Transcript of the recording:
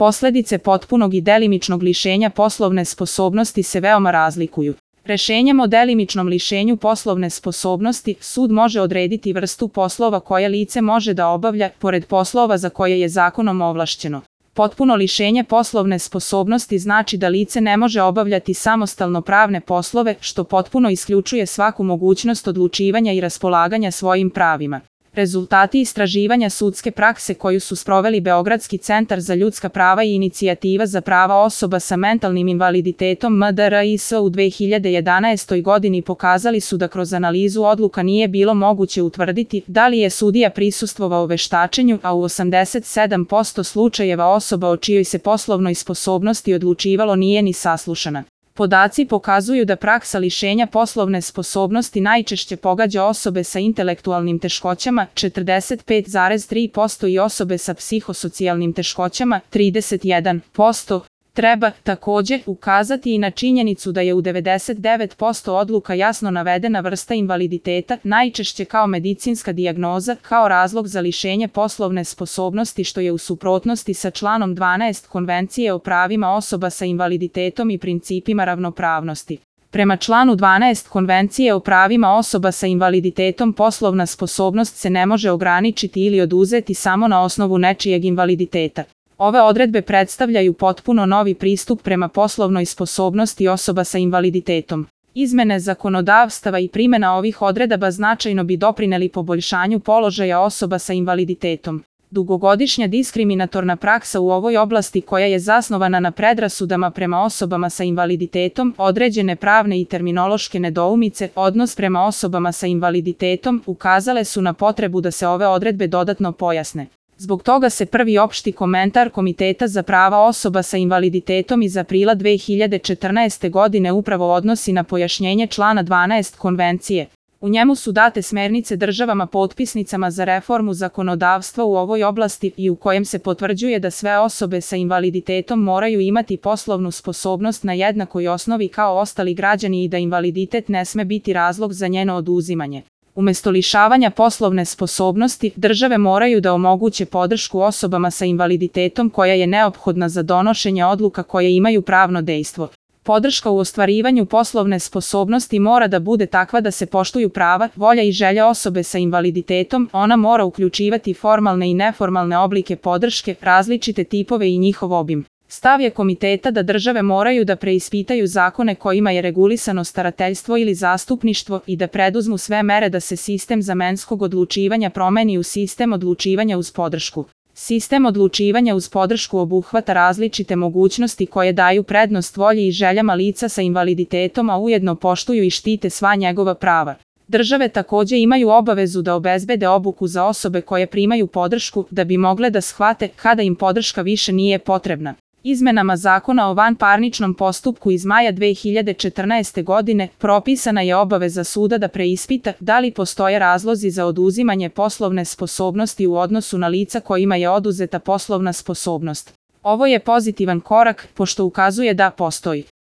Posledice potpunog i delimičnog lišenja poslovne sposobnosti se veoma razlikuju. Rešenjem o delimičnom lišenju poslovne sposobnosti sud može odrediti vrstu poslova koje lice može da obavlja, pored poslova za koje je zakonom ovlašćeno. Potpuno lišenje poslovne sposobnosti znači da lice ne može obavljati samostalno pravne poslove, što potpuno isključuje svaku mogućnost odlučivanja i raspolaganja svojim pravima. Rezultati istraživanja sudske prakse koju su sproveli Beogradski centar za ljudska prava i Inicijativa za prava osoba sa mentalnim invaliditetom MDRIS u 2011. godini pokazali su da kroz analizu odluka nije bilo moguće utvrditi da li je sudija prisustvovao veštačenju, a u 87% slučajeva osoba o čijoj se poslovnoj sposobnosti odlučivalo nije ni saslušana. Podaci pokazuju da praksa lišenja poslovne sposobnosti najčešće pogađa osobe sa intelektualnim teškoćama 45,3% i osobe sa psihosocijalnim teškoćama 31%. Treba također ukazati i na činjenicu da je u 99% odluka jasno navedena vrsta invaliditeta, najčešće kao medicinska dijagnoza, kao razlog za lišenje poslovne sposobnosti, što je u suprotnosti sa članom 12 Konvencije o pravima osoba sa invaliditetom i principima ravnopravnosti. Prema članu 12 Konvencije o pravima osoba sa invaliditetom poslovna sposobnost se ne može ograničiti ili oduzeti samo na osnovu nečijeg invaliditeta. Ove odredbe predstavljaju potpuno novi pristup prema poslovnoj sposobnosti osoba sa invaliditetom. Izmene zakonodavstava i primjena ovih odredaba značajno bi doprineli poboljšanju položaja osoba sa invaliditetom. Dugogodišnja diskriminatorna praksa u ovoj oblasti, koja je zasnovana na predrasudama prema osobama sa invaliditetom, određene pravne i terminološke nedoumice, odnos prema osobama sa invaliditetom, ukazale su na potrebu da se ove odredbe dodatno pojasne. Zbog toga se prvi opšti komentar Komiteta za prava osoba sa invaliditetom iz aprila 2014. godine upravo odnosi na pojašnjenje člana 12 Konvencije. U njemu su date smernice državama potpisnicama za reformu zakonodavstva u ovoj oblasti i u kojem se potvrđuje da sve osobe sa invaliditetom moraju imati poslovnu sposobnost na jednakoj osnovi kao ostali građani i da invaliditet ne sme biti razlog za njeno oduzimanje. Umesto lišavanja poslovne sposobnosti, države moraju da omoguće podršku osobama sa invaliditetom koja je neophodna za donošenje odluka koje imaju pravno dejstvo. Podrška u ostvarivanju poslovne sposobnosti mora da bude takva da se poštuju prava, volja i želja osobe sa invaliditetom, ona mora uključivati formalne i neformalne oblike podrške, različite tipove i njihov obim. Stav je komiteta da države moraju da preispitaju zakone kojima je regulisano starateljstvo ili zastupništvo i da preduzmu sve mere da se sistem zamenskog odlučivanja promeni u sistem odlučivanja uz podršku. Sistem odlučivanja uz podršku obuhvata različite mogućnosti koje daju prednost volji i željama lica sa invaliditetom, a ujedno poštuju i štite sva njegova prava. Države također imaju obavezu da obezbede obuku za osobe koje primaju podršku, da bi mogle da shvate kada im podrška više nije potrebna. Izmenama Zakona o vanparničnom postupku iz maja 2014. godine propisana je obaveza suda da preispita da li postoje razlozi za oduzimanje poslovne sposobnosti u odnosu na lica kojima je oduzeta poslovna sposobnost. Ovo je pozitivan korak, pošto ukazuje da postoji